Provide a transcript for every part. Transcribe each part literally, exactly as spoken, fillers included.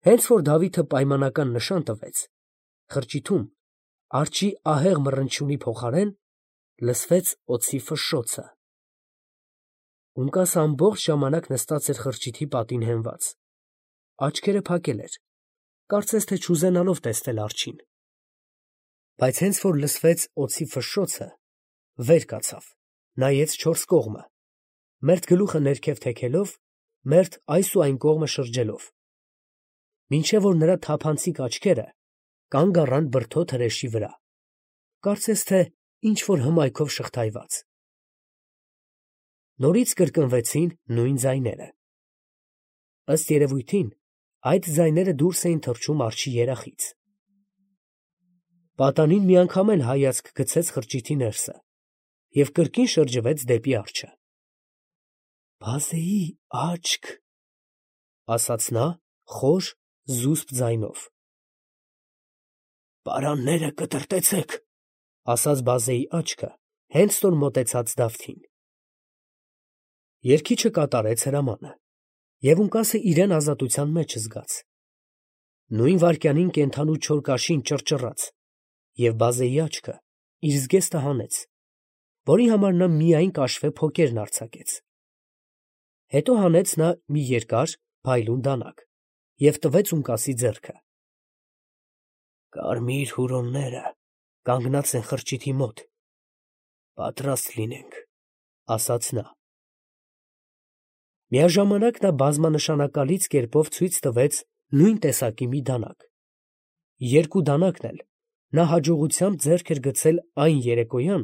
Հենց որ Դավիթը պայմանական նշան տվեց, խրճիթում արջի ահեղ մռնչյունի փոխարեն լսվեց օձի ֆշշոցը։ Ունկասը ամբողջ ժամանակ նստած էր խրճիթի պատին հենված, աչքերը փակել էր, կարծես թե չուզենալով տեսնել արջին։ Բայց հենց որ լսվեց օձի ֆշշոցը, վեր կացավ, նայեց չորս կողմը, մերթ գլուխը ներքև թեքելով, մերթ այս ու այն կողմը շրջելով, մինչև որ նրա թափանցիկ աչքերը կանգ առան բրդոտ հրեշի վրա, կարծես թե ինչ-որ հմայքով շղթայված։ Նորից կրկնվեցին նույն ձայները։ Ըստ երևույթին, այդ ձայները դուրս էին թռչում արջի երախից։ Պատանին միանգամ էլ հայացք գցեց խրճիթի ներսը և կրկին շրջվեց դեպի արջը։ «Բազեի աչք», ասաց նա խոր, զուսպ ձայնով։ «Պարանները կտրտեցեք», ասաց բազեի աչքը, հենց որ մոտեցավ Դավթին։ Երգիչը կատարեց հրամանը, և ունկասը իրան ազատության մեջ զգաց։ Նույն վայրկյանին կենդանու չոր կաշին ճռճռաց, և բազեի աչքը իր զգեստը հանեց, որի համար նա միայն կաշվե փոկերն արձակեց։ Հետո հանեց նա մի երկար, փայլուն դանակ և տվեց ունկասի ձեռքը։ «Կարմիր հուրոնները կանգնած են խրճիթի մոտ, պատրաստ լինենք», ասաց նա։ Միաժամանակ նա բազմանշանակալից կերպով ցույց տվեց նույն տեսակի մի դանակ։ Երկու դանակն էլ նա հաջողությամբ ձեռք էր գցել այն երեկոյան,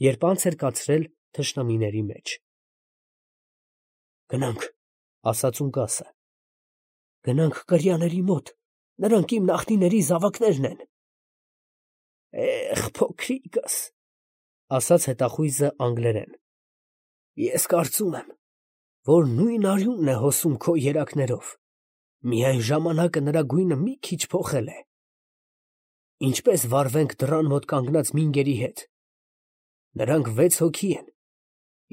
երբ անց էր կացրել թշնամիների մեջ։ «Գնանք», ասաց ունկասը, «գնանք կրյաների մոտ, նրանք իմ նախնիների զավակներն են»։ «Էխ, փոքրիկս», ասաց հետախույզը անգլերեն, «ես կարծում եմ, որ նույն արյունն է հոսում քո երակներով, միայն ժամանակը նրա գույնը մի քիչ փոխել է։ Ինչպե՞ս վարվենք դռան մոտ կանգնած մինգերի հետ։ Նրանք վեց հոգի են,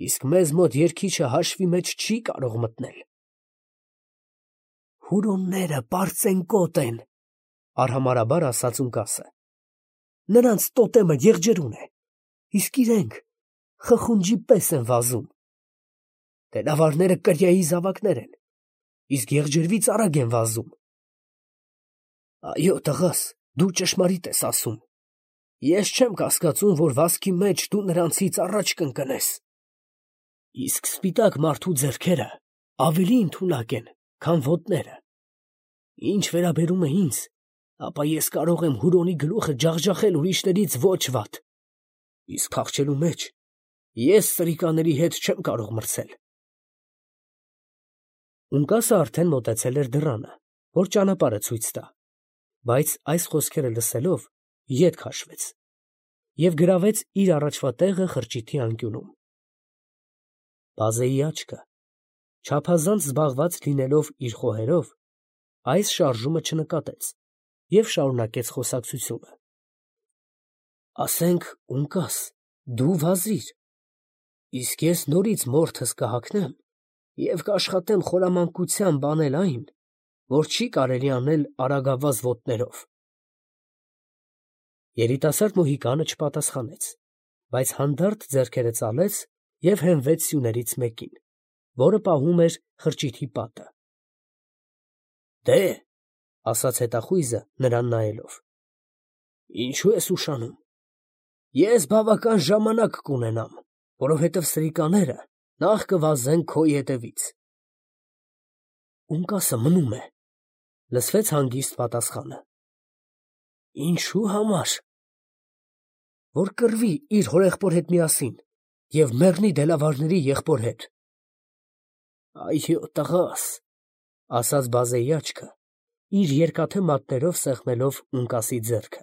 իսկ մեզ մոտ երգիչը հաշվի մեջ չի կարող մտնել»։ «Հուրոնները պարծենկոտ են», արհամարհաբար ասաց ունկասը, «նրանց տոտեմը եղջերուն է, իսկ իրենք խխունջի պես են վազում։ Տենավարները կրիայի զավակներ են, իսկ եղջերվից արագ են վազում»։ «Այո, տղաս, դու ճշմարիտ ես ասում, ես չեմ կասկածում, որ վազքի մեջ դու նրանցից առաջ կընկնես։ Իսկ սպիտակ մարդու ձեռքերը ավելի ընդունակ են, քան ոտները։ Ինչ վերաբերում է ինձ, ապա ես կարող եմ հուրոնի գլուխը ջախջախել ուրիշներից ոչ վատ, իսկ փախչելու մեջ ես սրիկաների հետ չեմ կարող մրցել»։ Ունկասը արդեն մոտեցել էր դռանը, որ ճանապարհը ցույց տա, բայց այս խոսքերը լսելով ետ քաշվեց և գրավեց իր առաջվա տեղը խրճիթի անկյունում։ Բազեի աչքը, չափազանց զբաղված լինելով իր խոհերով, այս շարժումը չնկատեց և շարունակեց խոսակցությունը։ «Ասենք, ունկաս, դու վազիր, իսկ ես նորից մորթս կհագնեմ և կաշխատեմ խորամանկությամբ անել այն, որ չի կարելի անել արագավազ ոտներով»։ Երիտասարդ մոհիկանը չպատասխանեց, բայց հանդարտ ձեռքերը ծալեց և հենվեց սյուներից մեկին, որը պահում էր խրճիթի պատը։ «Դե՛հ», ասաց հետախույզը նրան նայելով, «ինչու ես ուշանում։ Ես բավական ժամանակ կունենամ, որովհետև սրիկաները նախ կվազեն քո ետևից»։ «Ունկասը մնում է», լսվեց հանգիստ պատասխանը։ «Ինչու համար»։ «Որ կռվի իր հորեղբոր հետ միասին և մեռնի դելավարների եղբոր հետ»։ «Այո, տղաս», ասաց բազեի աչքը, իր երկաթե մատներով սեղմելով ունկասի ձեռքը,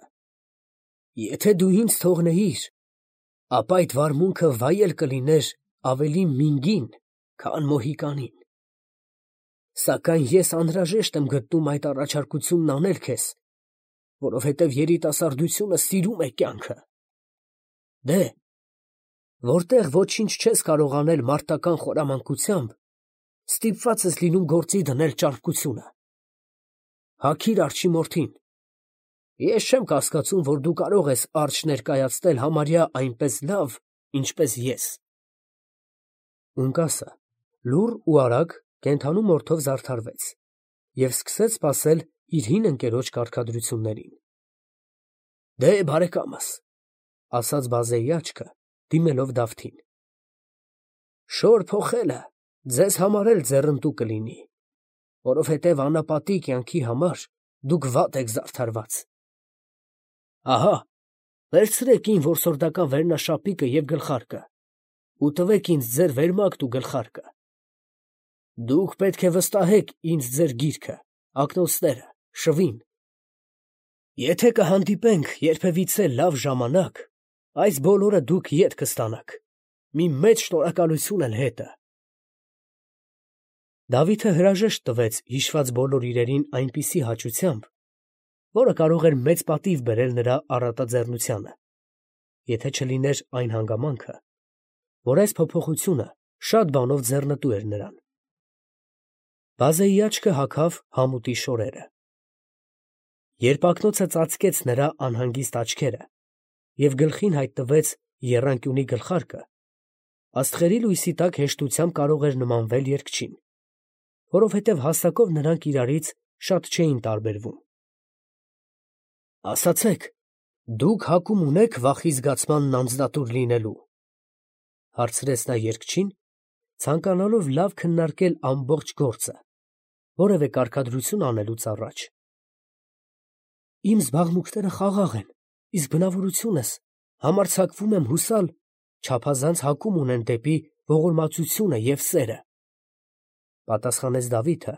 «եթե դու ինձ թողնեիր, ապա այդ վարմունքը վայել կլիներ ավելի մինգին, քան մոհիկանին։ Սակայն ես անհրաժեշտ եմ գտնում այդ առաջարկությունն անել քեզ, որովհետև երիտասարդությունը սիրում է կյանքը։ Դե՛հ, որտեղ ոչինչ չես կարող անել մարտական խորամանկությամբ, ստիպված ես լինում գործի դնել ճարպկությունը։ Հագիր արջի մորթին։ Ես չեմ կասկածում, որ դու կարող ես արջ ներկայացնել համարյա այնպես լավ, ինչպես ես։ Ունկասը լուռ ու արագ կենդանու մորթով զարդարվեց և սկսեց սպասել իր հին ընկերոջ կարգադրություններին։ Դե, բարեկամս, ֊ ասաց բազեի աչքը, դիմելով Դավթին, ֊ շոր փոխելը ձեզ համար էլ ձեռնտու կլինի, որովհետև անապատի կյանքի համար դուք վատ եք զարդարված։ Ահա, վերցրեք իմ որսորդական վերնաշապիկը և գլխարկը ու տվեք ինձ ձեր վերմակն ու գլխարկը։ Դուք պետք է վստահեք ինձ ձեր գիրքը, ակնոցները, շվին։ Եթե կհանդիպենք երբևիցե լավ ժամանակ, այս բոլորը դուք ետ կստանաք, մի մեծ շնորհակալություն էլ հետը։ Դավիթը հրաժեշտ տվեց հիշված բոլոր իրերին այնպիսի հաճությամբ, որը կարող էր մեծ պատիվ բերել նրա առատաձեռնությանը, եթե չլիներ այն հանգամանքը, որ այս փոփոխությունը շատ բանով ձեռնտու էր նրան։ Բազեի աչքը հագավ համուտի շորերը։ Երբ ակնոցը ծածկեց նրա անհանգիստ աչքերը և գլխին հայտնվեց եռանկյունի գլխարկը, աստղերի լույսի տակ հեշտությամբ կարող էր նմանվել երգչին, որովհետև հասակով նրանք իրարից շատ չէին տարբերվում։ Ասացեք, դուք հակում ունե՞ք վախի զգացմանն անձնատուր լինելու, ֊ հարցրեց նա երգչին, ցանկանալով լավ քննարկել ամբողջ գործը, որևէ կարգադրություն անելուց առաջ։ Իմ զբաղմունքները խաղաղ են, իսկ բնավորությունս համարձակվում եմ հուսալ, չափազանց հակում ունեն դեպի ողորմածությունը և սերը, ֊ պատասխանեց Դավիթը,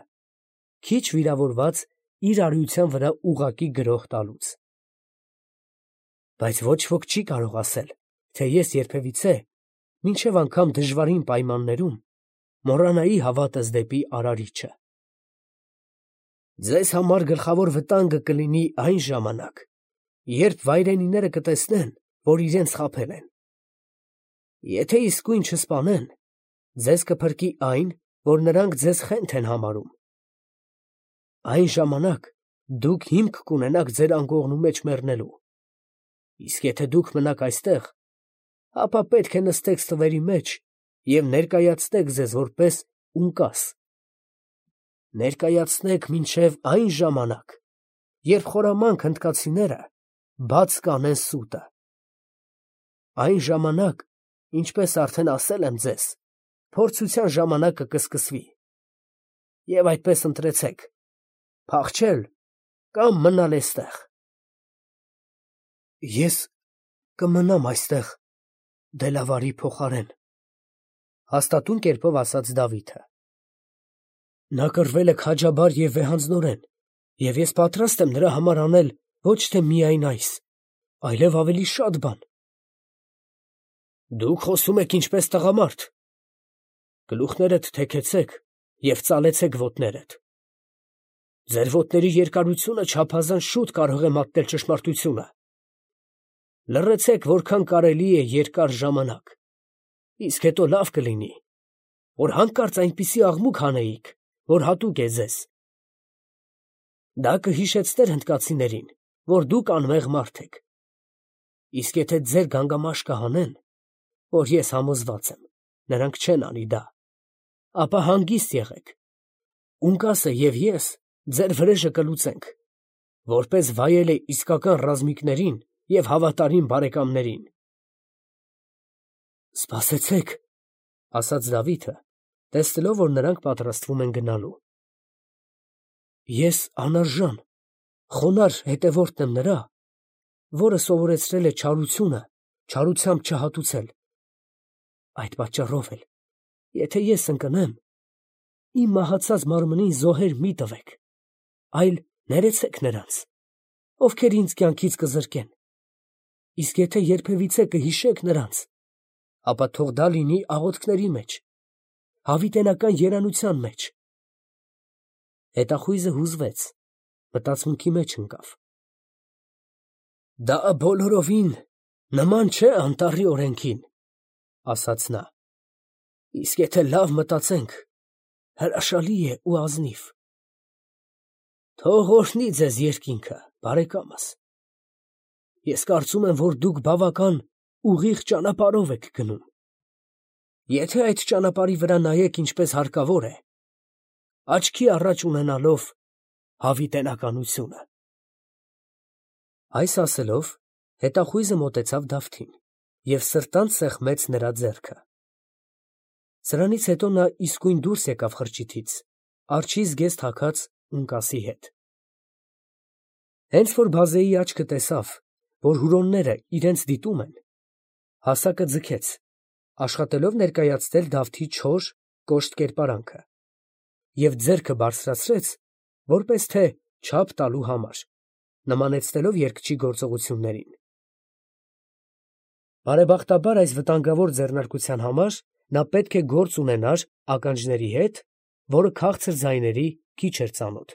քիչ վիրավորված իր արիության վրա ուղղակի գրոհ տալուց։ Բայց ոչ ոք չի կարող ասել, թե ես երբևիցե, մինչև անգամ դժվարին պայմաններում, մոռանայի հավատս դեպի Արարիչը։ Ձեզ համար գլխավոր վտանգը կլինի այն ժամանակ, երբ վայրենիները կտեսնեն, որ իրենց խաբել են։ Եթե իսկույն չսպանեն, ձեզ կփրկի այն, որ նրանք ձեզ խենթ են համարում։ Այն ժամանակ դուք հիմք կունենաք ձեր անկողնու մեջ մեռնելու, իսկ եթե դուք մնաք այստեղ, ապա պետք է նստեք ստվերի մեջ և ներկայացնեք ձեզ որպես ունկաս։ Ներկայացնեք մինչև այն ժամանակ, երբ խորամանկ հնդկացիները բաց կանեն սուտը։ Այն ժամանակ, ինչպես արդեն ասել եմ ձեզ, փորձության ժամանակը կսկսվի, և այդպես ընտրեցեք, փախչել կամ մնալ էստեղ։ Ես կմնամ այստեղ դելավարի փոխարեն, ֊ հաստատուն կերպով ասաց Դավիթը։ Նա կռվել է քաջաբար և վեհանձնորեն, և ես պատրաստ եմ նրա համար անել ոչ թե միայն այս, այլև ավելի շատ բան։ Դուք խոսում եք ինչպես տղամարդ. գլուխներդ թեքեցեք և ծալեցեք ոտներդ։ Ձեր ոտների երկարությունը չափազանց շուտ կարող է մատնել ճշմարտությունը։ Լռեցեք որքան կարելի է երկար ժամանակ, իսկ հետո լավ կլինի, որ հանկարծ այնպիսի աղմուկ հանեիք, որ հատուկ է ձեզ։ Դա կհիշեցներ հնդկացիներին, որ դուք անմեղ մարդ եք, իսկ եթե ձեր գանգամաշկը հանեն, որ ես համոզված եմ, նրանք չեն անի դա, ապա հանգիստ եղեք, ունկասը և ես ձեր վրեժը կլուծենք, որպես վայել է իսկական ռազմիկներին և հավատարիմ բարեկամներին։ Սպասեցեք, ֊ ասաց Դավիթը, տեսնելով, որ նրանք պատրաստվում են գնալու։ Ես անարժան, խոնարհ հետևորդն եմ նրա, որը սովորեցրել է չարությունը չարությամբ չհատուցել։ Այդ պատճառով էլ, եթե ես ընկնեմ, իմ մահացած մարմնին զոհեր մի տվեք, այլ ներեցեք նրանց, ովքեր ինձ կյանքից կզրկեն, իսկ եթե երբևիցե կհիշեք նրանց, ապա թող դա լինի աղոթքների մեջ, հավիտենական երանության մեջ։ Հետախույզը հուզվեց, մտածմունքի մեջ ընկավ։ Դա բոլորովին նման չէ անտառի օրենքին, ֊ ասաց նա, իսկ եթե լավ մտածենք, հրաշալի է ու ազնիվ։ Թող օրհնի ձեզ երկինքը, բարեկամս։ Ես կարծում եմ, որ դուք բավական ուղիղ ճանապարհով եք գնում։ Եթե այդ ճանապարհի վրա նայեք ինչպես հարկավոր է, աչքի առաջ ունենալով հավիտենականությունը։ Այս ասելով, հետախույզը մոտեցավ Դավթին և սրտանց սեղմեց նրա ձեռքը։ Սրանից հետո նա իսկույն դուրս եկավ խրճիթից, արջի զգեստ հագած ունկասի հետ։ Հենց որ բազեի աչքը տեսավ, որ հուրոնները իրենց դիտում են, հասակը ձգեց, աշխատելով ներկայացնել Դավթի չոր, կոշտ կերպարանքը, և ձեռքը բարձրացրեց, որպես թե չափ տալու համար, նմանեցնելով երգչի գործողություններին։ Բարեբախտաբար այս վտանգավոր ձեռնարկության համար նա պետք է գործ ունենար ականջների հետ, որը քաղցր ձայների քիչ էր ծանոթ։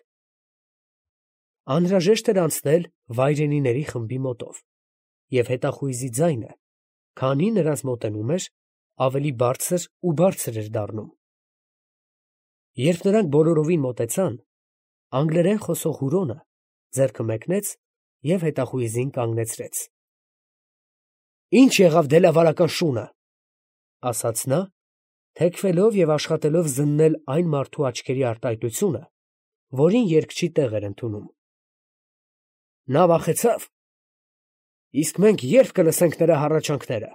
Անհրաժեշտ էր անցնել վայրենիների խմբի մոտով, և հետախույզի ձայնը, քանի նրանց մոտենում էր, ավելի բարձր ու բարձր էր դառնում։ Երբ նրանք բոլորովին մոտեցան, անգլերեն խոսող հուրոնը ձեռքը մեկնեց և հետախույզին կանգնեցրեց։ ֊ Ի՞նչ եղավ դելավարական շունը, ֊ ասաց նա, թեքվելով և աշխատելով զննել այն մարդու աչքերի արտահայտությունը, որին երգչի տեղ էր ընդունում։ ֊ Նա վախեցա՞վ։ ֊ Իսկ մենք ե՞րբ կլսենք նրա հառաչանքները։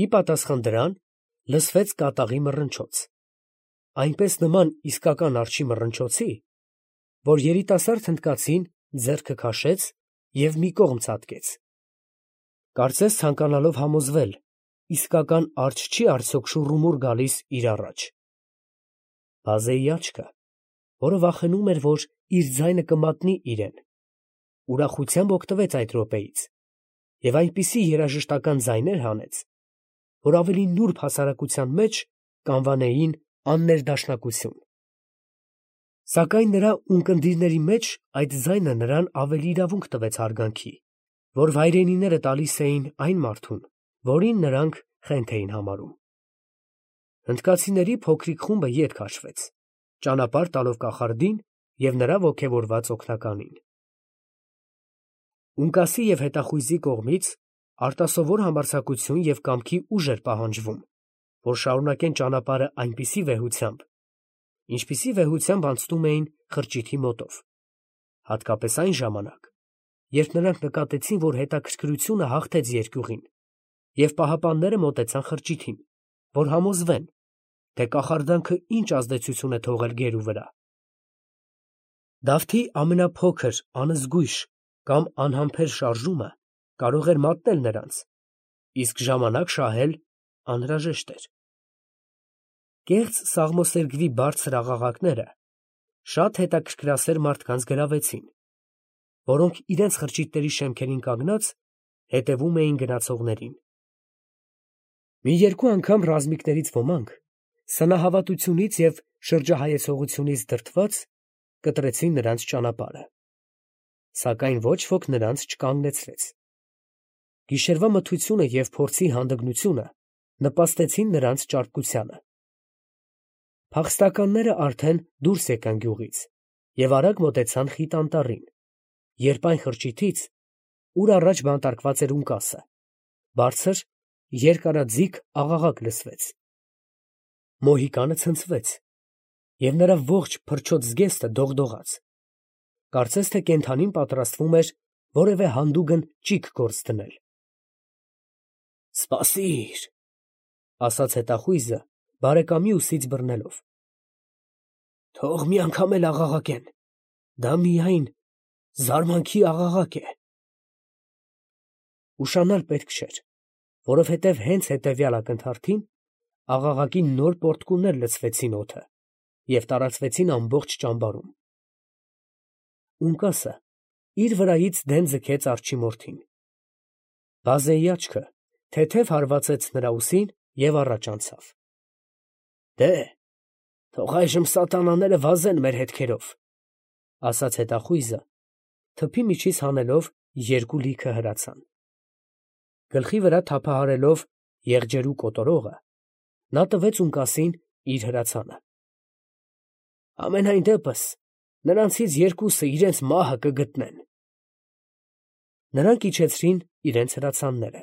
Ի պատասխան դրան լսվեց կատաղի մռնչոց, այնպես նման իսկական արջի մռնչոցի, որ երիտասարդ հնդկացին ձեռքը քաշեց և մի կողմ ցատկեց, կարծես ցանկանալով համոզվել, իսկական արջ չի արդյոք շուռումուռ գալիս իր առաջ։ Բազեի աչքը, որը վախենում էր, որ իր ձայնը կմատնի իրեն, ուրախությամբ օգտվեց այդ րոպեից և այնպիսի երաժշտական ձայներ հանեց, որ ավելի նուրբ հասարակության մեջ կանվանեին աններդաշնակություն։ Սակայն նրա ունկնդիրների մեջ այդ ձայնը նրան ավելի իրավունք տվեց հարգանքի, որ վայրենիները տալիս էին այն մարդուն, որին նրանք խենթ էին համարում։ Հնդկացիների փոքրիկ խումբը ետ քաշվեց, ճանապարհ տալով կախարդին և նրա ոգևորված օգնականին։ Ունկասի և հետախույզի կողմից արտասովոր համարձակություն և կամքի ուժ էր պահանջվում, որ շարունակեն ճանապարհը այնպիսի վեհությամբ, ինչպիսի վեհությամբ անցնում էին խրճիթի մոտով, հատկապես այն ժամանակ, երբ նրանք նկատեցին, որ հետաքրքրությունը հաղթեց երկյուղին, և պահապանները մոտեցան խրճիթին, որ համոզվեն, թե կախարդանքը ինչ ազդեցություն է թողել գերու վրա։ Դավթի ամենափոքր անզգույշ կամ անհամբեր շարժումը կարող էր մատնել նրանց, իսկ ժամանակ շահել անհրաժեշտ էր։ Կեղծ սաղմոսերգվի բարձր աղաղակները շատ հետաքրքրասեր մարդկանց գրավեցին, որոնք իրենց խրճիթների շեմքերին կանգնած հետևում էին գնացողներին։ Մի երկու անգամ ռազմիկներից ոմանք, սնահավատությունից և շրջահայեցողությունից դրդված, կտրեցին նրանց ճանապարհը, սակայն ոչ ոք նրանց չկանգնեցրեց։ Գիշերվա մթությունը և փորձի հանդգնությունը նպաստեցին նրանց ճարպկությանը։ Փախստականները արդեն դուրս եկան գյուղից և արագ մոտեցան խիտ անտառին, երբ այն խրճիթից, ուր առաջ բանտարկված էր ունկասը, բարձր, երկարաձիգ աղաղակ լսվեց։ Մոհիկանը ցնցվեց, և նրա ողջ փրչոտ զգեստը դողդողաց, կարծես թե կենդանին պատրաստվում էր որևէ հանդուգն ճիգ գործ դնել։ ֊ Սպասի՛ր, ֊ ասաց հետախույզը բարեկամի ուսից բռնելով։ ֊ Թող մի անգամ էլ աղաղակեն, դա միայն զարմանքի աղաղակ է։ Ուշանալ պետք չէր, որովհետև հենց հետևյալ ակնթարթին աղաղակի նոր պոռթկումներ լցվեցին օդը և տարածվեցին ամբողջ ճամբարում։ Ունկասը իր վրայից դեն ձգեց արջի մորթին։ Բազեի աչքը թեթև հարվածեց նրա ուսին և առաջ անցավ։ ֊ Դե՛հ, թող այժմ սատանաները վազեն մեր հետքերով, ֊ ասաց հետախույզը, թփի միջից հանելով երկու լիքը հրացան։ Գլխի վրա թափահարելով եղջերու կոտորողը, նա տվեց ունկասին իր հրացանը։ ֊ Համենայն դեպս, նրանցից երկուսը իրենց մահը կգտնեն։ Նրանք իջեցրին իրենց հրացանները,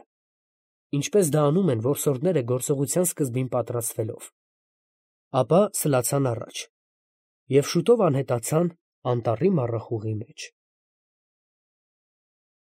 ինչպես դա անում են որսորդները գործողության սկզբին պատրաստվելով, ապա սլացան առաջ և շուտով անհետացան անտառի մառախուղի մեջ։